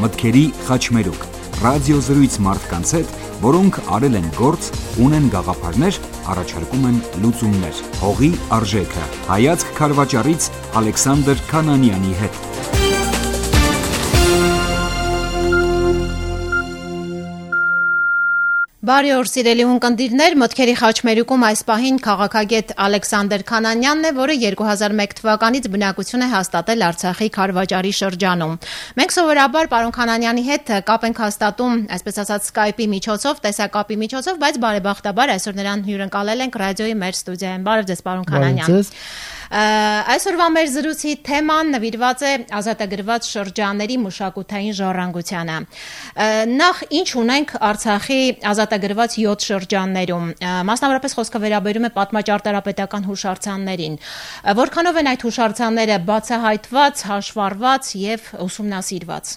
մտքերի խաչմերուկ, ռադիոզրույց մարդկանց հետ, որոնք արել են գործ, ունեն գաղափարներ, առաջարկում են լուծումներ։ Հողի արժեքը։ Հայացք քարվաճառից Ալեքսանդր Քանանյանի հետ։ Բարի օր, սիրելի ունկնդիրներ, մտքերի խաչմերուկում այս պահին քաղաքագետ Ալեքսանդր Քանանյանն է, որը 2001 թվականից բնակություն է հաստատել Արցախի Քարվաճառի շրջանում։ Մենք սովորաբար պարոն Քանանյանի հետ կապ ենք հաստատում, այսպես ասած, Skype-ի միջոցով, տեսակապի միջոցով, բայց բարեբախտաբար այսօր նրան հյուրընկալել ենք ռադիոյի մեր ստուդիայում։ Բարև ձեզ, պարոն Քանանյան։ Այսօրվա մեր զրույցի թեման նվիրված է ազատագրված շրջանների մշակութային ժառանգությանը։ Նախ ինչ ունենք Արցախի ազատագրված 7 շրջաններում, մասնավորապես խոսքը վերաբերում է պատմաճարտարապետական հուշարձաններին։ Որքանով են այդ հուշարձանները բացահայտված, հաշվառված եւ ուսումնասիրված։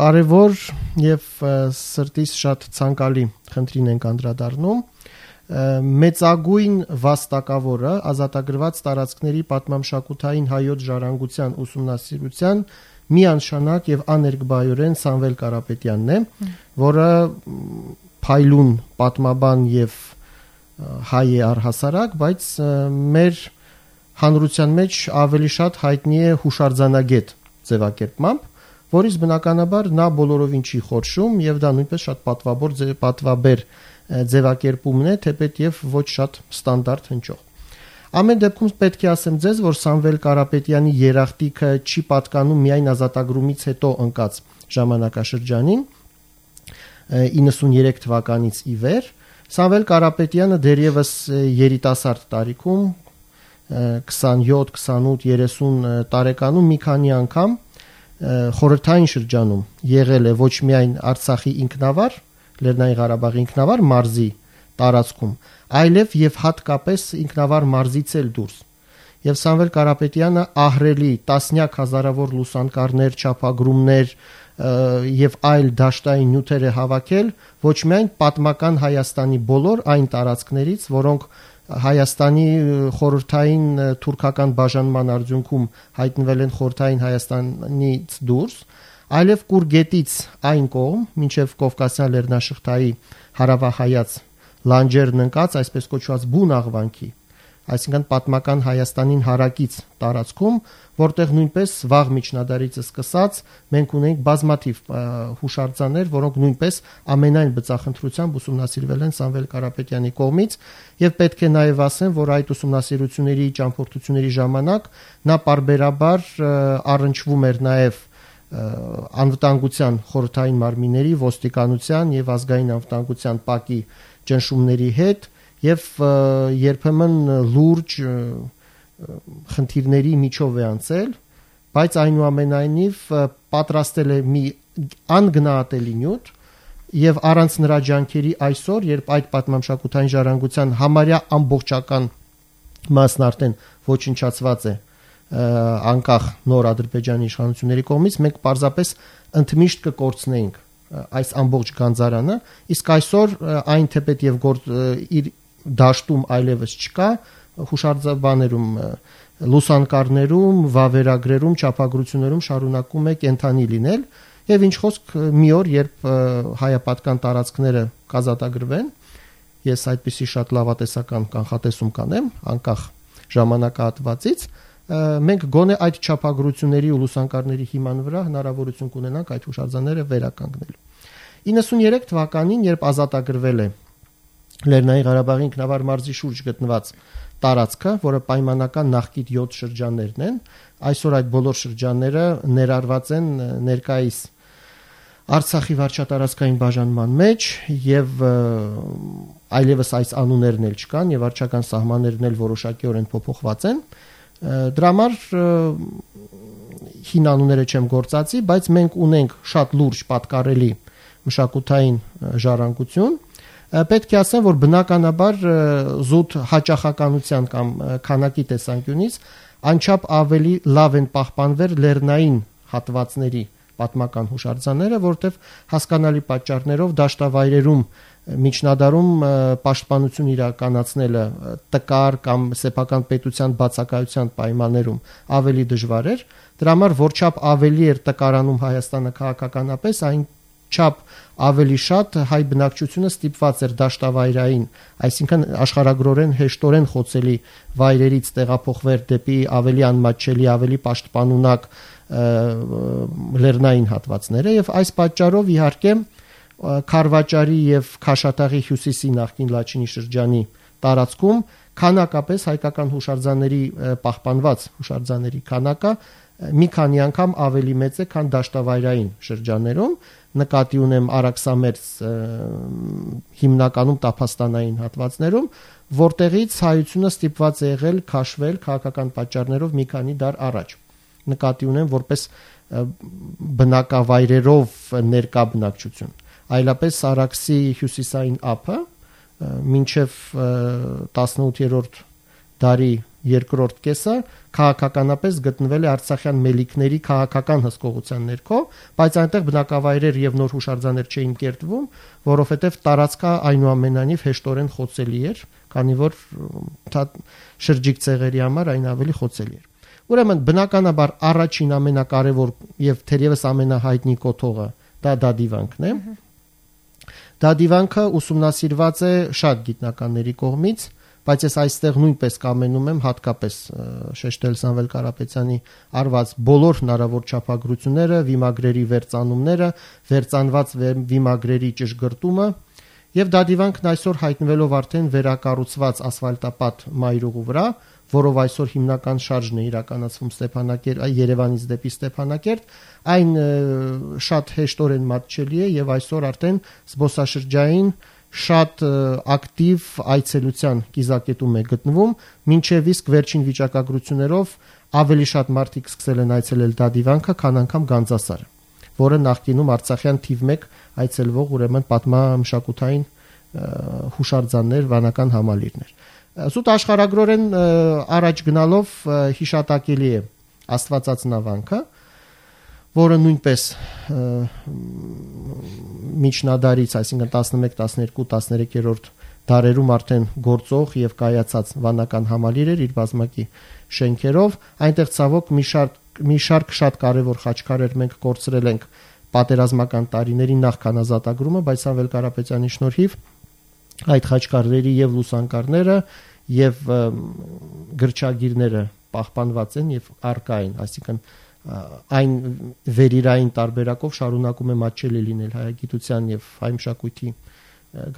Կարևոր եւ սրտից շատ ցանկալի խնդրին ենք անդրադառնում։ Մեծագույն վաստակավորը ազատագրված տարածքների պատմամշակութային հայոց ժառանգության ուսումնասիրության միանշանակ եւ աներկբայորեն Սամվել Կարապետյանն է, որը փայլուն պատմաբան եւ հայ է առհասարակ, բայց մեր հանրության մեջ ավելի շատ հայտնի է հուշարձանագետ ձևակերպմամբ, որից բնականաբար նա բոլորովին չի խորշում եւ դա նույնպես շատ պատվաբեր ձևակերպումն է, թեպետ եւ ոչ շատ ստանդարտ հնչող։ Ամեն դեպքում պետք է ասեմ ձեզ, որ Սամվել Կարապետյանի երախտիկը չի պատկանում միայն ազատագրումից հետո ընկած ժամանակաշրջանին 93 թվականից ի վեր։ Սամվել Կարապետյանը դեռևս երիտասարդ տարիքում 27, 28, 30 տարեկանում մի քանի անգամ խորհրդային շրջանում եղել է ոչ միայն Արցախի ինքնավար Լեռնային Ղարաբաղի ինքնավար մարզի տարածքում, այլև եւ հատկապես ինքնավար մարզից էլ դուրս։ Եվ Սամվել Կարապետյանը ահռելի տասնյակ հազարավոր լուսանկարներ, չափագրումներ եւ այլ դաշտային նյութեր է հավաքել ոչ միայն պատմական Հայաստանի բոլոր այն տարածքներից, որոնք Հայաստանի խորհրդային թուրքական բաժանման արդյունքում հայտնվել են խորհրդային Հայաստանից դուրս, այլև Կուրգետից այն կողմ, մինչև Կովկասյան լեռնաշղթայի հարավահայաց լանջերն ընկած, այսպես կոչված բուն աղվանքի, այսինքն պատմական Հայաստանին հարակից տարածքում, որտեղ նույնպես վաղ միջնադարից սկսած մենք ունենք բազմաթիվ հուշարձաններ, որոնք նույնպես ամենայն բծախնդրությամբ ուսումնասիրվել են Սամվել Կարապետյանի կողմից, եւ պետք է նաեւ ասեմ, որ այդ ուսումնասիրությունների ճամփորդությունների ժամանակ նա պարբերաբար առնչվում էր նաեւ անվտանգության խորհրդային մարմինների, ոստիկանության եւ ազգային անվտանգության ՊԱԿ-ի ճնշումների հետ եւ երբեմն լուրջ խնդիրների միջով է անցել, բայց այնուամենայնիվ պատրաստել է մի անգնահատելի նյութ եւ առանց նրա ջանքերի այսօր, երբ այդ պատմամշակութային ժառանգության համարյա ամբողջական մասն արդեն ոչնչացված է անկախ նոր Ադրբեջանի իշխանությունների կողմից, մենք պարզապես ընդմիշտ կկորցնեինք այս ամբողջ գանձարանը, իսկ այսօր այն թեպետ եւ իր դաշտում այլևս չկա, հուշարձաններում, լուսանկարներում, վավերագրերում, չափագրություններում շարունակում է կենթանի լինել եւ ինչ խոսք մի օր, երբ հայապատկան տարածքները կազատագրվեն, ես այդպիսի շատ լավատեսական կանխատեսում կանեմ, անկախ ժամանակահատվածից, մենք գոնե այդ չափագրությունների ու լուսանկարների հիման վրա հնարավորություն կունենանք այդ հուշարձանները վերականգնելու։ 93 թվականին, երբ ազատագրվել է Լեռնային Ղարաբաղի ինքնավար մարզի շուրջ գտնված տարածքը, որը պայմանական նախկին 7 շրջաններն են, այսօր այդ բոլոր շրջանները ներառված են ներկայիս Արցախի վարչատարածքային բաժանման մեջ եւ այլևս այս անուններն էլ չկան եւ վարչական սահմաններն էլ որոշակիորեն փոփոխված են։ Դրա համար հին անունները չեմ գործածի, բայց մենք ունենք շատ լուրջ պատկառելի մշակութային ժառանգություն։ Պետք է ասեմ, որ բնականաբար զուտ հաճախականության կամ քանակի տեսանկյունից անչափ ավելի լավ են պահպանվել լեռնային հատվածների պատմական հուշարձանները, որտեղ հասկանալի պատճառներով դաշտավայրերում միջնադարում պաշտպանություն իրականացնելը տկար կամ սեփական պետության բացակայության պայմաններում ավելի դժվար էր, դրա համար որչափ ավելի էր տկարանում Հայաստանը քաղաքականապես, այն չափ ավելի շատ հայ բնակչությունը ստիպված էր դաշտավայրային, այսինքն աշխարհագրորեն հեշտորեն խոցելի վայրերից տեղափոխվեր դեպի ավելի անմատչելի, ավելի պաշտպանունակ լեռնային հատվածները եւ այս պատճառով իհարկե Քարվաճարի եւ Քաշաթաղի հյուսիսի նախկին Լաչինի շրջանի տարածքում քանակապես հայկական հուշարձանների պահպանված հուշարձանների քանակը մի քանի անգամ ավելի մեծ է, քան դաշտավայրային շրջաններում, նկատի ունեմ Արաքսամերձ հիմնականում տափաստանային հատվածներում, որտեղից հայությունը ստիպված է եղել քաշվել քաղաքական պատճառներով մի քանի դար առաջ։ Նկատի ունեմ որպես բնակավայրերով ներկա բնակչություն։ Այլապես Արաքսի հյուսիսային ափը մինչև 18-րդ դարի երկրորդ կեսը քաղաքականապես գտնվել է Արցախյան մելիքների քաղաքական հսկողության ներքո, բայց այնտեղ բնակավայրեր եւ նոր հուշարձաններ չէին կերտվում, որովհետեւ տարածքը այնուամենայնիվ հեշտորեն խոցելի էր, քանի որ շրջիկ ցեղերի համար այն ավելի խոցելի էր։ Ուրեմն բնականաբար առաջին ամենակարևոր եւ թերևս ամենահայտնի կոթողը դա դադիվանքն է։ Դադիվանքը ուսումնասիրված է շատ գիտնականների կողմից, բայց ես այստեղ նույնպես կամենում եմ հատկապես շեշտել Սամվել Կարապետյանի արված բոլոր հնարավոր չափագրությունները, վիմագրերի վերծանումները, վերծանված վիմագրերի ճշգրտումը եւ դադիվանքն այսօր հայտնվելով արդեն վերակառուցված ասֆալտապատ մայրուղու վրա, որով այսօր հիմնական շարժն է իրականացվում Երևանից դեպի Ստեփանակերտ, այն շատ հեշտորեն մատչելի է եւ այսօր արդեն զբոսաշրջային շատ ակտիվ այցելության կիզակետում է գտնվում, մինչև իսկ վերջին վիճակագրություններով ավելի շատ մարդիկ սկսել են այցելել դադիվանքը, քան անգամ Գանձասարը, որը նախկինում Արցախյան թիվ 1 այցելվող ուրեմն պատմամշակութային հուշարձաններ, վանական համալիրներ։ Սուտ աշխարհագրորեն առաջ գնալով հիշատակելի է Աստվածածնավանքը, որը նույնպես միջնադարից, այսինքն 11, 12, 13-րդ դարերում արդեն գործող եւ կայացած վանական համալիր էր իր բազմակի շենքերով, այնտեղ ցավոք մի շարք շատ կարևոր խաչքարեր մենք կորցրել ենք պատերազմական տարիների նախքան ազատագրումը, բայց Սամվել Կարապետյանի շնորհիվ այդ խաչքարերի եւ լուսանկարները եւ գրչագիրները պահպանված են եւ առկա են, այսինքն այն վերիրային տարբերակով շարունակում է մատչելի լինել հայագիտության եւ հայ մշակույթի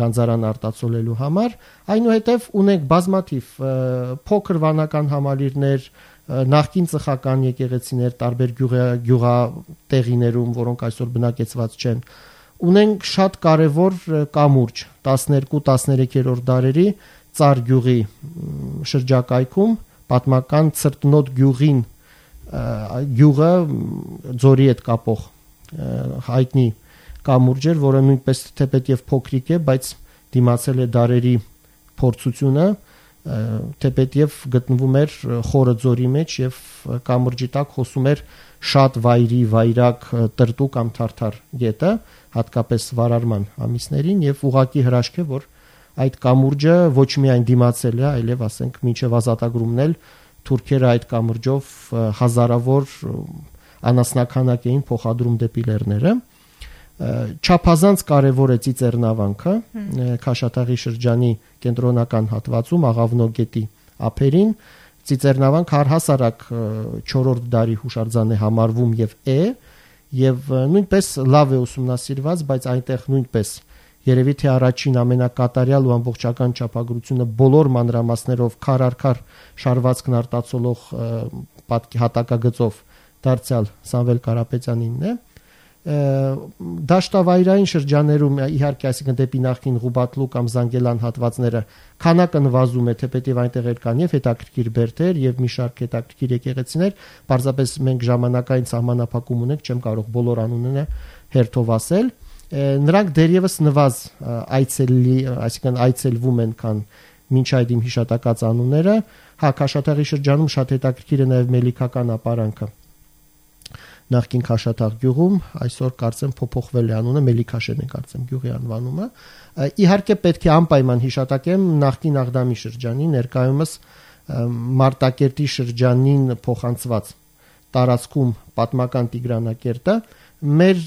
գանձարան արտացոլելու համար, այնուհետև ունենք բազմաթիվ փոքր վանական համալիրներ, նախկին ծխական եկեղեցիներ տարբեր գյուղատեղիներում, որոնք այսօր բնակեցված չեն, ունենք շատ կարևոր կամուրջ 12-13-րդ դարերի Ծար գյուղի շրջակայքում պատմական Ցրտնոտ գյուղին գյուղը ձորի հետ կապող հայտնի կամուրջ էր, որը նույնպես թեպետ եւ փոքրիկ է, բայց դիմացել է դարերի փորձությունը, թեպետ եւ գտնվում էր խորը ձորի մեջ եւ կամուրջի տակ հոսում էր շատ վայրակ տրտու կամ թարթար գետը, հատկապես վարարման ամիսներին եւ ուղակի հրաշք է, որ այդ կամուրջը ոչ միայն դիմացել է, այլև ասենք մինչև ազատագրումն էլ թուրքերը այդ կամուրջով հազարավոր անասնաքանակ էին փոխադրում դեպի լեռները։ Չափազանց կարևոր է Ծիծեռնավանքը, Քաշաթաղի շրջանի կենտրոնական հատվածում Աղավնո գետի ափերին։ Ծիծեռնավանքը առհասարակ 4-րդ դարի հուշարձան է համարվում եւ նույնպես լավ է ուսումնասիրված, բայց այնտեղ նույնպես երևի թե առաջին ամենակատարյալ ու ամբողջական չափագրությունը բոլոր մանրամասներով քար առ քար շարվածքն արտացոլող հատակագծով դարձյալ Սամվել Կարապետյանինն է։ Դաշտավայրային շրջաներում իհարկե, այսինքն դեպի նախկին Ղուբատլու կամ Զանգելան հատվածները քանակը նվազում է, թեպետև այնտեղ կան եւ հետաքրքիր բերդեր եւ մի շարք հետաքրքիր եկեղեցիներ, պարզապես մենք ժամանակային սահմանափակում ունենք, չեմ կարող բոլոր անունները հերթով ասել։ Նրանք դեռևս նվազ այսինքն այցելվում են, քան մինչ այդ իմ հիշատակած անունները։ Քաշաթաղի շրջանում շատ հետաքրքիր է նաեւ մելիքական ապարանքը, նախկին Քաշաթաղ գյուղում, այսօր կարծեմ փոփոխվել է անունը, Մելիքաշեն է կարծեմ գյուղի անվանումը։ Իհարկե պետք է անպայման հիշատակեմ նախկին Աղդամի շրջանի, ներկայումս Մարտակերտի շրջանին փոխանցված տարածքում պատմական Տիգրանակերտը, մեր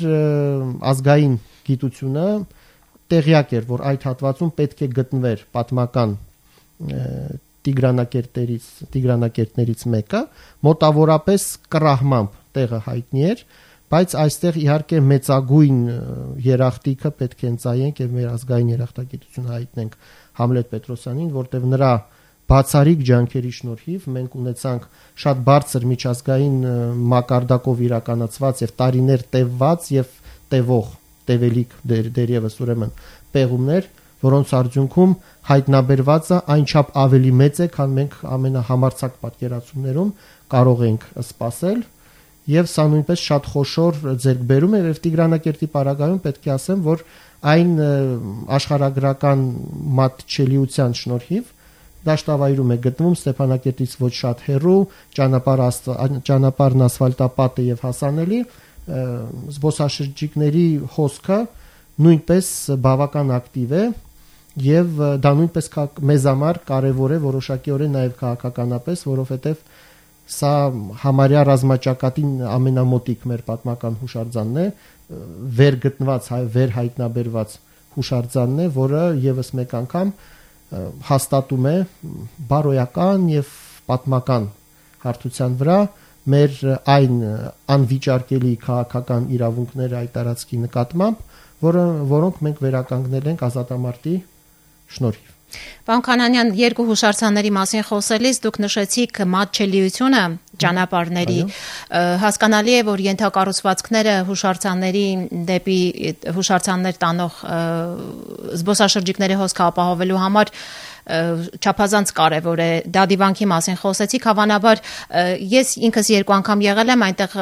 ազգային գիտությունը տեղյակ էր, որ այդ հատվածում պետք է գտնվեր պատմական Տիգրանակերտներից մեկը, մոտավորապես կռահմամբ տեղը հայտնի էր, բայց այստեղ իհարկե մեծագույն երախտիկը պետք է ընծայենք եւ մեր ազգային երախտագիտությունը հայտնենք Համլետ Պետրոսյանին, որտեղ նրա բացառիկ ջանքերի շնորհիվ մենք ունեցանք շատ բարձր միջազգային մակարդակով իրականացված եւ տարիներ տևված եւ տևելիք դերևս ուրեմն պեղումներ, որոնց արդյունքում հայտնաբերվածը այնչափ ավելի մեծ է, քան մենք ամենահամարձակ պատկերացումներում կարող ենք սպասել, եւ սա նույնպես շատ խոշոր ձեռքբերում է եւ Տիգրանակերտի պարագայում պետք է ասեմ, որ այն աշխարհագրական մատչելիության շնորհիվ դաշտավայրում է գտնվում Ստեփանակերտից ոչ շատ հեռու, ճանապարհն ասֆալտապատ է եւ հասանելի, զբոսաշրջիկների հոսքը նույնպես բավական ակտիվ է եւ դա նույնպես մեզ համար կարեւոր է որոշակիորեն նաեւ քաղաքականապես, որովհետեւ սա համարյա ռազմաճակատին ամենամոտիկ մեր պատմական հուշարձանն է, վեր գտնված, վեր հայտնաբերված հուշարձանն է, որը եւս մեկ անգամ հաստատում է բարոյական եւ պատմական հարթության վրա մեր այն անվիճարկելի քաղաքական իրավունքները այդ տարածքի նկատմամբ, որոնք մենք վերականգնել ենք ազատամարտի շնորհիվ։ Պարոն Քանանյան, երկու հուշարձանների մասին խոսելիս դուք նշեցիք մատչելիությունը ճանապարհների, հասկանալի է, որ ենթակառուցվածքները հուշարձանների դեպի հուշարձաններ տանող զբոսաշրջիկների հոսքը ապահովելու համար չափազանց կարևոր է։ Դադիվանքի մասին խոսեցիք, հավանաբար ես ինքս երկու անգամ եղել եմ, այնտեղ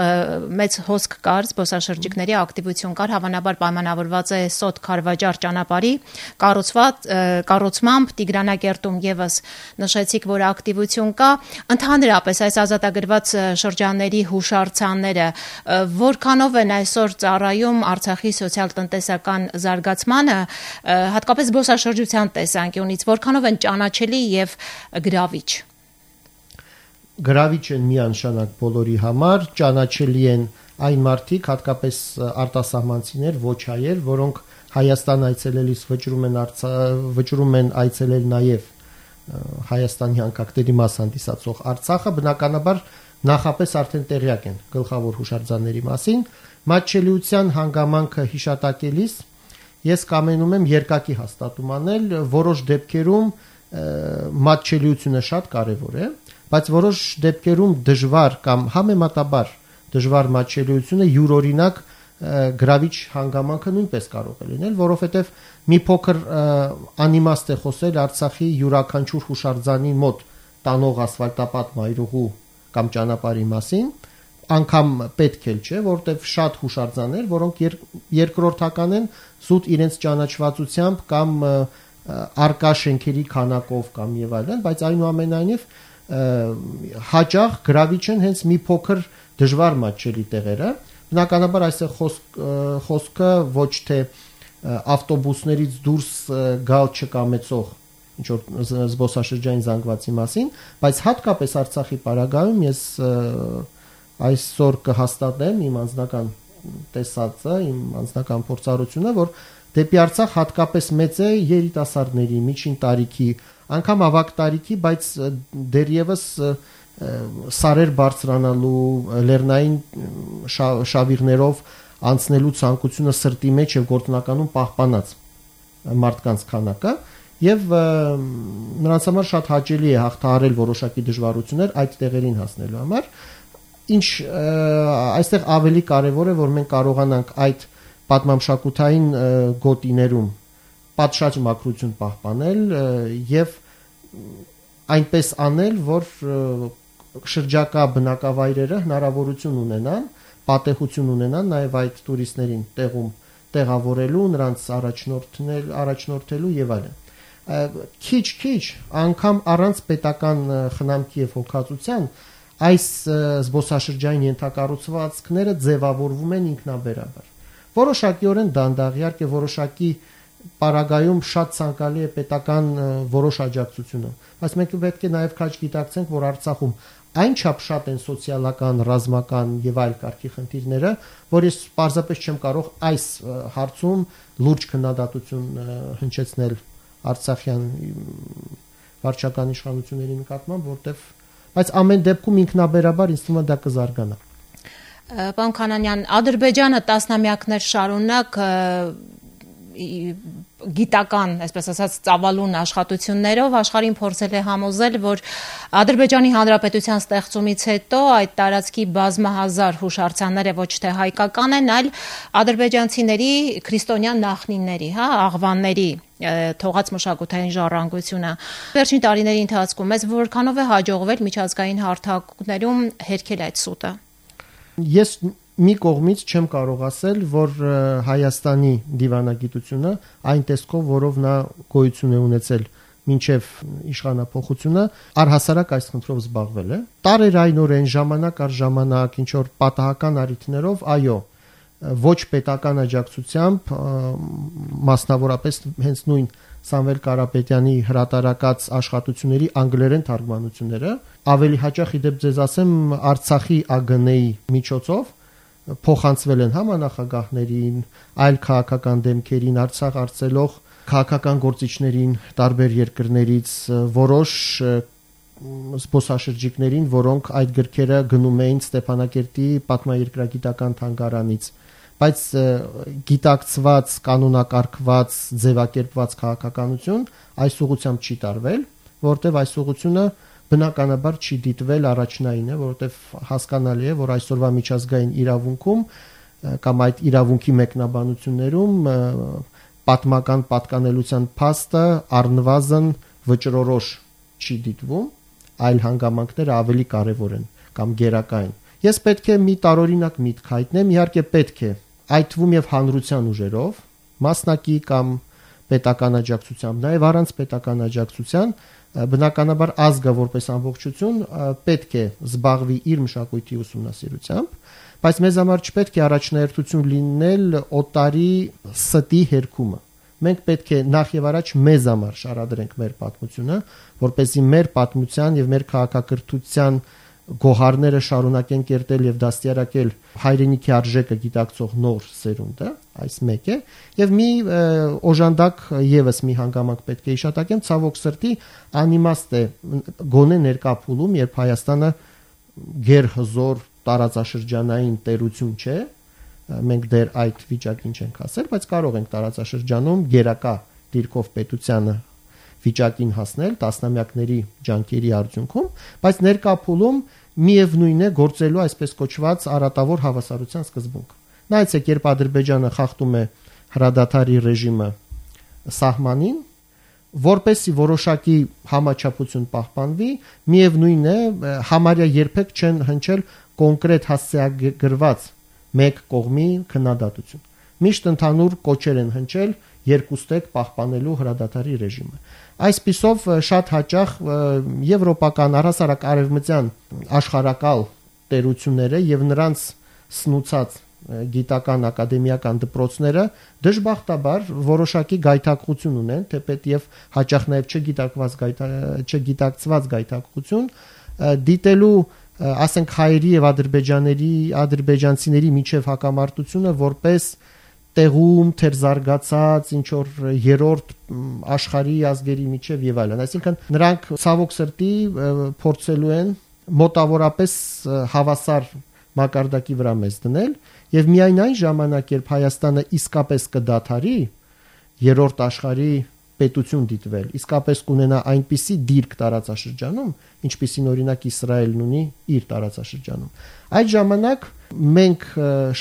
մեծ հոսք կար, զբոսաշրջիկների ակտիվություն կար, հավանաբար պայմանավորված է Սոտ Քարվաճար ճանապարհի կառուցմամբ, Տիգրանակերտում եւս նշեցիք, որ ակտիվություն կա, ընդհանրապես այս ազատագրված շրջանների հուշարձանները որքանով են այսօր ծառայում Արցախի սոցիալ-տնտեսական զարգացմանը, հատկապես զբոսաշրջության տեսանկյունից, որքանով են ճանաչելի եւ գրավիչ։ Գրավիչ են միանշանակ բոլորի համար, ճանաչելի են այն մարդիկ, հատկապես արտասահմանցիներ, ոչ հայեր, որոնք Հայաստան այցելելիս վճռում են այցելել նաեւ Հայաստանի անկախների մաս հանդիսացող Արցախը, բնականաբար նախապես արդեն տեղյակ են գլխավոր հուշարձանների մասին։ Մատչելիության հանգամանքը հիշատակելիս ես կամենում եմ երկակի հաստատում անել, որոշ դեպքերում մատչելիությունը շատ կարևոր է, բայց որոշ դեպքերում դժվար կամ համեմատաբար դժվար մատչելիությունը յուրօրինակ գրավիչ հանգամանքը նույնպես կարող է լինել, որովհետև մի փոքր անիմաստ է խոսել Արցախի յուրաքանչյուր հուշարձանի մոտ տանող ասֆալտապատ մայրուղու կամ ճանապարհի մասին, անգամ պետք էլ չէ, որովհետև շատ հուշարձաններ, որոնք երկրորդական են զուտ իրենց ճանաչվածությամբ կամ արկա շենքերի քանակով կամ եւ այլն, բայց այնուամենայնիվ հաճախ գրավիչ են հենց մի փոքր դժվար մատչելի տեղերը։ Բնականաբար այստեղ խոսքը ոչ թե ավտոբուսներից դուրս գալ չկամեցող ինչ որ զբոսաշրջային զանգվածի մասին, բայց հատկապես Արցախի պարագայում ես այսօր կհաստատեմ իմ անձնական տեսածը, իմ անձնական փորձառությունը, որ դեպի Արցախ հատկապես մեծ է երիտասարդների, միջին տարիքի, անգամ ավագ տարիքի, բայց դեռևս սարեր բարձրանալու, լեռնային շավիղներով անցնելու ցանկությունը սրտի մեջ եւ գործնականում պահպանած մարդկանց քանակը եւ նրանց համար շատ հաճելի է հաղթահարել որոշակի դժվարություններ այդ տեղերին հասնելու համար։ Ինչ այստեղ ավելի կարևոր է, որ մենք կարողանանք այդ պատմամշակութային գոտիներում պատշաճ մաքրություն պահպանել եւ այնպես անել, որ շրջակա բնակավայրերը հնարավորություն ունենան, պատեհություն ունենան նաև այդ տուրիստներին տեղում տեղավորելու, նրանց առաջնորդելու եւ այլն։ Քիչ անգամ առանց պետական խնամքի եւ հոգացության այս զբոսաշրջային ենթակառուցվածքները ձևավորվում են ինքնաբերաբար։ Որոշակիորեն դանդաղ, իհարկե որոշակի պարագայում շատ ցանկալի է պետական որոշ աջակցությունը, բայց մենք պետք է նաև քաջ գիտակցենք, որ Արցախում այնչափ շատ են սոցիալական, ռազմական եւ այլ կարգի խնդիրները, որ ես պարզապես չեմ կարող այս հարցում լուրջ քննադատություն հնչեցնել Արցախյան վարչական իշխանությունների նկատմամբ, բայց ամեն դեպքում ինքնաբերաբար ինձ թվում է դա կզարգանա։ Պարոն Քանանյան, Ադրբեջանը տասնամյակներ շարունակ գիտական, այսպես ասած, ծավալուն աշխատություններով աշխարհին փորձել է համոզել, որ Ադրբեջանի Հանրապետության ստեղծումից հետո այդ տարածքի բազմահազար հուշարձանները ոչ թե հայկական են, այլ ադրբեջանցիների քրիստոնյան նախնիների, աղվանների թողած մշակութային ժառանգությունը։ Վերջին տարիների ընթացքում մեզ որքանով է հաջողվել միջազգային հարթակներում հերքել այդ սուտը։ Ես մի կողմից չեմ կարող ասել, որ Հայաստանի դիվանագիտությունը այն տեսքով, որով նա գոյություն է ունեցել մինչև իշխանափոխությունը, առհասարակ այս խնդրով զբաղվել է։ Տարերայնորեն ժամանակ առ ժամանակ ինչ որ պատահական առիթներով, այո, ոչ պետական աջակցությամբ, մասնավորապես հենց նույն Սամվել Կարապետյանի հրատարակած աշխատությունների անգլերեն թարգմանությունները, ավելի հաճախ իդեպ ձեզ ասեմ, Արցախի ԱԳՆ-ի միջոցով փոխանցվել են համանախագահներին, այլ քաղաքական դեմքերին, Արցախ արձելով քաղաքական գործիչներին տարբեր երկրներից, որոշ զբոսաշրջիկներին, որոնք այդ գրքերը գնում էին Ստեփանակերտի պատմաերկրագիտական թանգարանից, բայց գիտակցված, կանոնակարգված, ձևակերպված քաղաքականություն այս ուղղությամբ չի տարվել, որտեղ այս ուղղությունը բնականաբար չի դիտվել առաջնային է, որովհետև հասկանալի է, որ այսօրվա միջազգային իրավունքում կամ այդ իրավունքի մեկնաբանություններում պատմական պատկանելության փաստը առնվազն վճռորոշ չի դիտվում, այլ հանգամանքները ավելի կարևոր են կամ գերակա են։ Ես պետք է մի տարօրինակ միտք հայտնեմ, իհարկե պետք է, այդ թվում եւ հանրության ուժերով, մասնակի կամ պետական աջակցությամբ, նաեւ առանց պետական աջակցության բնականաբար ազգը որպես ամբողջություն պետք է զբաղվի իր մշակույթի ուսումնասիրությամբ, բայց մեզ համար չպետք է առաջնահերթություն լինել օտարի ստի հերքումը։ Մենք պետք է նախ եւ առաջ մեզ համար շարադրենք մեր պատմությունը, որպեսզի մեր պատմության եւ մեր քաղաքակրթության գոհարները շարունակեն կերտել եւ դաստիարակել հայրենիքի արժեքը գիտակցող նոր սերունդը, այս մեկ է, եւ մի օժանդակ եւս մի հանգամանք պետք է իշատակեմ, ցավոք սրտի անիմաստ է գոնե ներկա փուլում, երբ Հայաստանը գերհզոր տարածաշրջանային տերություն չէ, մենք դեռ այդ վիճակին չենք հասել, բայց կարող ենք տարածաշրջանում գերակա դիրքով պետությանը վիճակին հասնել տասնամյակների ջանքերի արդյունքում, բայց ներկա փուլում միևնույն է գործելու այսպես կոչված արատավոր հավասարության սկզբունք։ Նայեցեք, երբ Ադրբեջանը խախտում է հրադադարի ռեժիմը սահմանին, որպեսի որոշակի համաչափություն պահպանվի, միևնույն է համարյա երբեք չեն հնչել կոնկրետ հասցեագրված մեկ կողմի քննադատություն։ Միշտ ընդհանուր կոչեր են հնչել երկուստեք պահպանելու հրադադարի ռեժիմը։ Այսպիսով շատ հաճախ եվրոպական առհասարակ արևմտյան աշխարհակալ տերությունները եւ նրանց սնուցած գիտական ակադեմիական դպրոցները դժբախտաբար որոշակի գայթակղություն ունեն, թեպետ եւ հաճախ նաեւ չգիտակցված գայթակղություն դիտելու ասենք հայերի եւ ադրբեջանցիների միջև հակամարտությունը որպես տեղում թերզարգացած ինչ որ երրորդ աշխարհի ազգերի միջև եւ այլն, այսինքն նրանք ցավոք սրտի փորձելու են մոտավորապես հավասար մակարդակի վրա մեզ դնել եւ միայն այն ժամանակ երբ Հայաստանը իսկապես կդադարի երրորդ աշխարհի պետություն դիտվել, իսկապես կունենա այնպիսի դիրք տարածաշրջանում, ինչպիսին օրինակ Իսրայելն ունի իր տարածաշրջանում, այդ ժամանակ մենք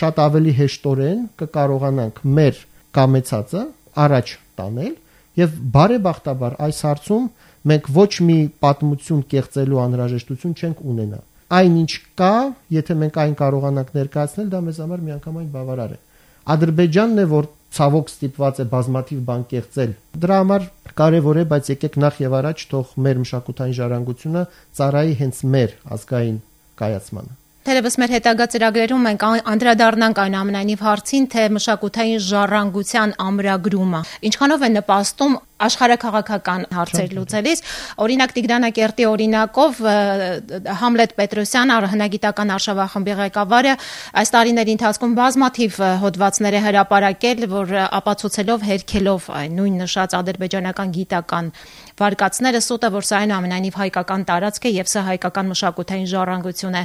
շատ ավելի հեշտորեն կկարողանանք մեր կամեցածը առաջ տանել եւ բարեբախտաբար այս հարցում մենք ոչ մի պատմություն կեղծելու անհրաժեշտություն չենք ունենա։ Այնինչ կա, եթե մենք այն կարողանանք ներկայացնել, դա մեզ համար միանգամայն բավարար է։ Ադրբեջանն է, որ ցավոք ստիպված է բազմաթիվ բան կեղծել։ Դրա համար կարևոր է, բայց եկեք նախ եւ առաջ թող մեր մշակութային ժառանգությունը ծառայի հենց մեր ազգային կայացմանը։ Թերևս մեր հետագա ծրագրերում մենք անդրադառնանք այնուամենայնիվ հարցին, թե մշակութային ժառանգության ամրագրումը ինչքանով է նպաստում աշխարհաքաղաքական հարցեր լուծելիս։ Օրինակ Տիգրանակերտի օրինակով Համլետ Պետրոսյանը, հնագիտական արշավախմբի ղեկավարը, այս տարիների ընթացքում բազմաթիվ հոդվածներ է հրապարակել, որ ապացուցելով, հերքելով նույն նշած ադրբեջանական գիտական վարկածները, սուտը, որ սա այնուամենայնիվ հայկական տարածք է եւ սա հայկական մշակութային ժառանգություն է։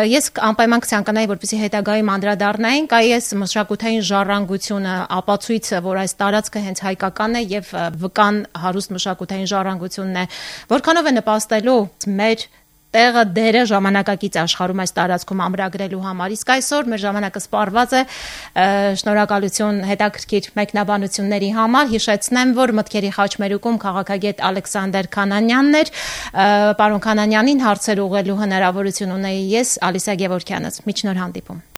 Ես անպայման կցանկանայի, որպեսզի հետագայում անդրադառնայինք այս մշակութային ժառանգությունը, ապացույցը, որ այս տարածքը հենց հայկական է եւ վկան հարուստ մշակութային ժառանգությունն է, որքանով է նպաստելու մեր տեղը դերը ժամանակակից աշխարհում այս տարածքում ամրագրելու համար։ Իսկ այսօր մեր ժամանակը սպառված է, շնորհակալություն հետաքրքիր մեկնաբանությունների համար։ Հիշեցնեմ, որ մտքերի խաչմերուկում քաղաքագետ Ալեքսանդր Քանանյանն էր, պարոն Քանանյանին հարցեր ուղղելու հնարավորություն ունեի ես, Ալիսա Գևորգյանց։ Մինչ նոր հանդիպում։